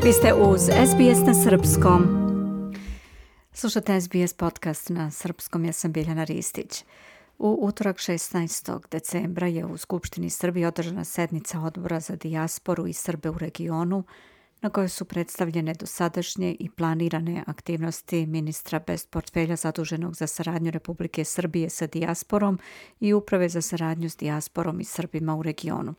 Vi ste uz SBS na srpskom. Slušate SBS podcast na srpskom, ja sam Biljana Ristić. U utorak 16. decembra je u Skupštini Srbije održana sednica Odbora za dijasporu i Srbe u regionu, na kojoj su predstavljene dosadašnje i planirane aktivnosti ministra bez portfelja zaduženog za saradnju Republike Srbije sa dijasporom i Uprave za saradnju s dijasporom i Srbima u regionu.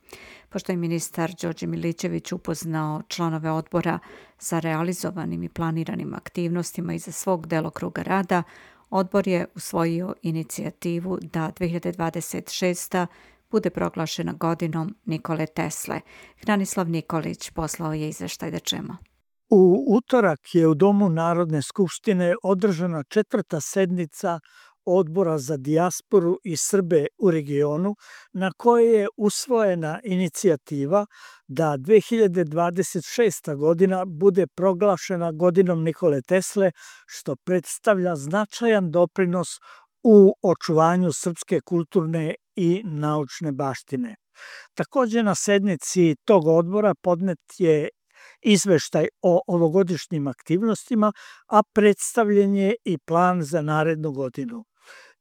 Pošto je ministar Đorđe Milićević upoznao članove odbora sa realizovanim i planiranim aktivnostima iza svog delokruga rada, odbor je usvojio inicijativu da 2026. bude proglašena godinom Nikole Tesle. Hranislav Nikolić poslao je izveštaj da čemu. U utorak je u Domu Narodne skupštine održana 4. sednica Odbora za dijasporu i Srbe u regionu, na kojoj je usvojena inicijativa da 2026. godina bude proglašena godinom Nikole Tesle, što predstavlja značajan doprinos u očuvanju srpske kulturne i naučne baštine. Također na sednici tog odbora podnet je izveštaj o ovogodišnjim aktivnostima, a predstavljen je i plan za narednu godinu.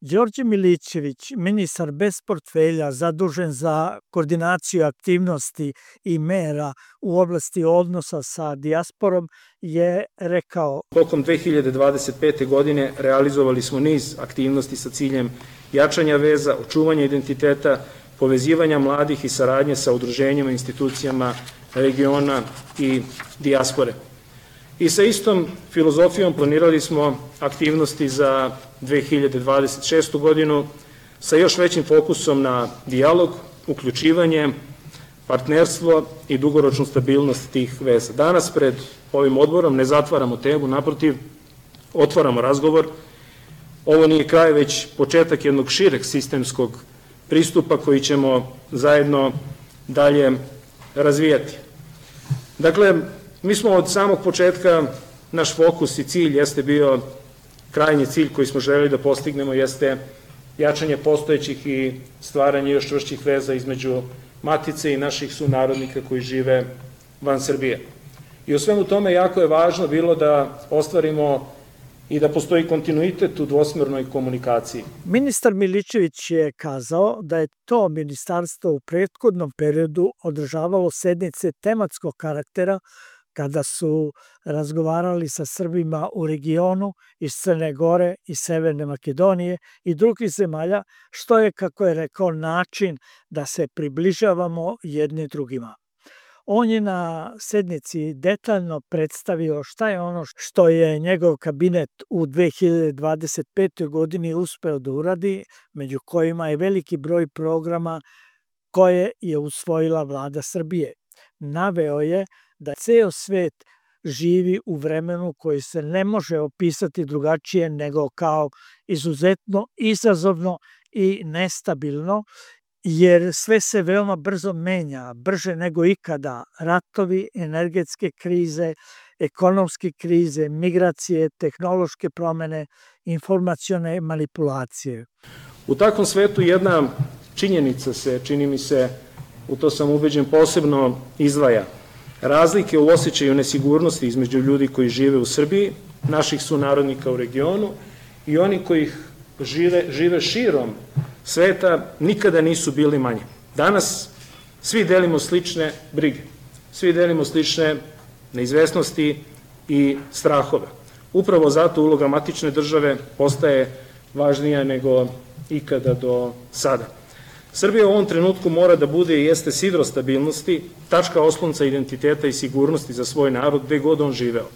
Đorđe Milićević, ministar bez portfelja zadužen za koordinaciju aktivnosti i mera u oblasti odnosa sa dijasporom, je rekao: Tokom 2025. godine realizovali smo niz aktivnosti sa ciljem jačanja veza, očuvanja identiteta, povezivanja mladih i saradnje sa udruženjima, institucijama regiona i dijaspore. I sa istom filozofijom planirali smo aktivnosti za 2026. godinu sa još većim fokusom na dijalog, uključivanje, partnerstvo i dugoročnu stabilnost tih veza. Danas pred ovim odborom ne zatvaramo temu, naprotiv, otvaramo razgovor. Ovo nije kraj, već početak jednog šireg sistemskog pristupa koji ćemo zajedno dalje razvijati. Dakle, mi smo od samog početka, naš fokus i cilj jeste bio, krajnji cilj koji smo želeli da postignemo jeste jačanje postojećih i stvaranje još čvršćih veza između matice i naših sunarodnika koji žive van Srbije. I u svemu tome jako je važno bilo da ostvarimo i da postoji kontinuitet u dvosmernoj komunikaciji. Ministar Milićević je kazao da je to ministarstvo u prethodnom periodu održavalo sednice tematskog karaktera kada su razgovarali sa Srbima u regionu iz Crne Gore i Severne Makedonije i drugih zemalja, što je, kako je rekao, način da se približavamo jedni drugima. On je na sednici detaljno predstavio šta je ono što je njegov kabinet u 2025. godini uspeo da uradi, među kojima je veliki broj programa koje je usvojila vlada Srbije. Naveo je da ceo svet živi u vremenu koji se ne može opisati drugačije nego kao izuzetno izazovno i nestabilno, jer sve se veoma brzo menja, brže nego ikada. Ratovi, energetske krize, ekonomske krize, migracije, tehnološke promene, informacione manipulacije. U takvom svetu jedna činjenica se, čini mi se, u to sam ubeđen, posebno izdvaja. Razlike u osjećaju nesigurnosti između ljudi koji žive u Srbiji, naših sunarodnika u regionu i oni koji žive širom sveta nikada nisu bili manje. Danas svi delimo slične brige, svi delimo slične neizvesnosti i strahove. Upravo zato uloga matične države postaje važnija nego ikada do sada. Srbija u ovom trenutku mora da bude i jeste sidro stabilnosti, tačka oslonca identiteta i sigurnosti za svoj narod gde god on živeo.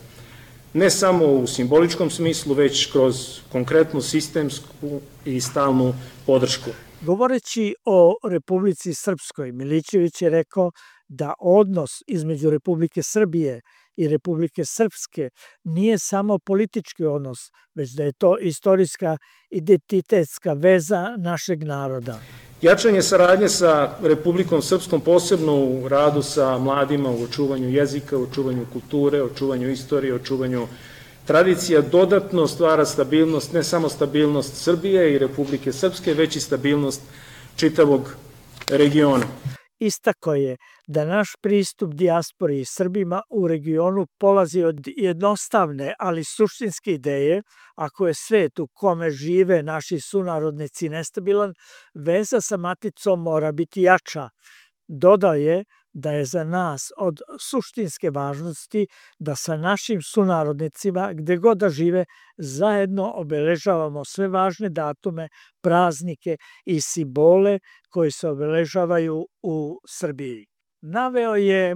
Ne samo u simboličkom smislu, već kroz konkretnu sistemsku i stalnu podršku. Govoreći o Republici Srpskoj, Milićević je rekao da odnos između Republike Srbije i Republike Srpske nije samo politički odnos, već da je to istorijska identitetska veza našeg naroda. Jačanje saradnje sa Republikom Srpskom, posebno u radu sa mladima, u očuvanju jezika, u očuvanju kulture, očuvanju istorije, očuvanju tradicija, dodatno stvara stabilnost, ne samo stabilnost Srbije i Republike Srpske, već i stabilnost čitavog regiona. Istako je da naš pristup dijaspori i Srbima u regionu polazi od jednostavne, ali suštinske ideje, ako je svet u kome žive naši sunarodnici nestabilan, veza sa maticom mora biti jača. Dodao je da je za nas od suštinske važnosti da sa našim sunarodnicima, gde god da žive, zajedno obeležavamo sve važne datume, praznike i simbole koji se obeležavaju u Srbiji. Naveo je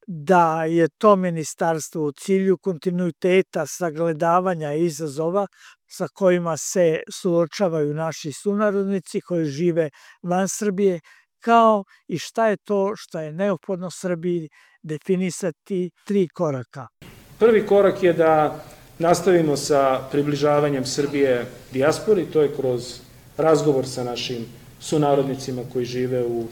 da je to ministarstvo u cilju kontinuiteta sagledavanja izazova sa kojima se suočavaju naši sunarodnici koji žive van Srbije, kao i šta je to što je neophodno Srbiji definisati 3 koraka. Prvi korak je da nastavimo sa približavanjem Srbije dijaspori, to je kroz razgovor sa našim sunarodnicima koji žive u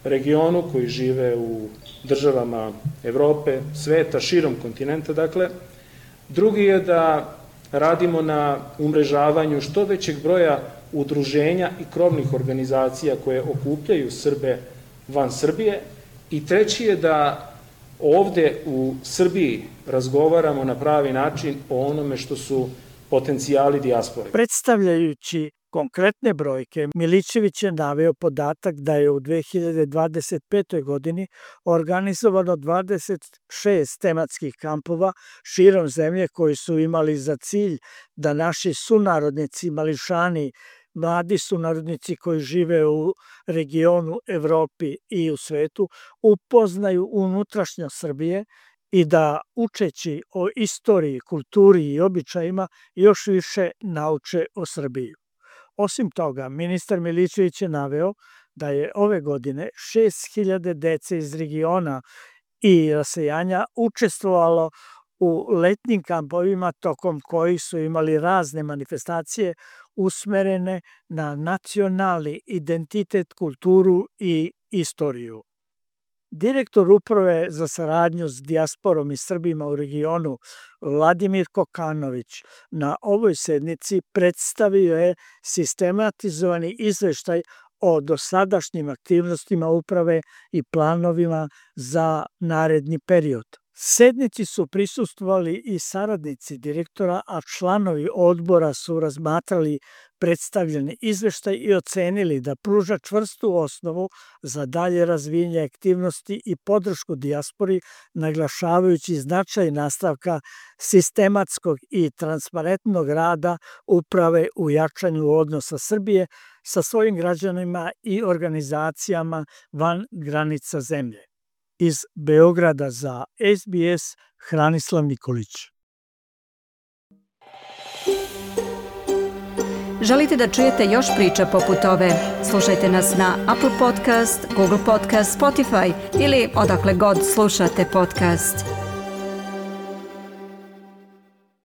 regionu, koji žive u državama Evrope, sveta, širom kontinenta, dakle. Drugi je da radimo na umrežavanju što većeg broja udruženja i krovnih organizacija koje okupljaju Srbe van Srbije. I treći je da ovde u Srbiji razgovaramo na pravi način o onome što su potencijali dijaspore. Predstavljajući konkretne brojke, Milićević je naveo podatak da je u 2025. godini organizovano 26 tematskih kampova širom zemlje koji su imali za cilj da naši sunarodnici, mališani, mladi sunarodnici koji žive u regionu, Evropi i u svetu upoznaju unutrašnjost Srbije i da učeći o istoriji, kulturi i običajima još više nauče o Srbiji. Osim toga, ministar Milićević je naveo da je ove godine 6.000 dece iz regiona i rasejanja učestvovalo u letnjim kampovima tokom kojih su imali razne manifestacije usmerene na nacionalni identitet, kulturu i istoriju. Direktor Uprave za saradnju s dijasporom i Srbima u regionu Vladimir Kokanović na ovoj sednici predstavio je sistematizovani izveštaj o dosadašnjim aktivnostima uprave i planovima za naredni period. Sednici su prisustvovali i saradnici direktora, a članovi odbora su razmatrali predstavljeni izveštaj i ocenili da pruža čvrstu osnovu za dalje razvijenje aktivnosti i podršku dijaspori, naglašavajući značaj nastavka sistematskog i transparentnog rada uprave u jačanju odnosa Srbije sa svojim građanima i organizacijama van granica zemlje. Iz Beograda za SBS, Hranislav Nikolić. Želite da čujete još priča poput ove? Slušajte nas na Apple Podcast, Google Podcast, Spotify ili odakle god slušate podcast.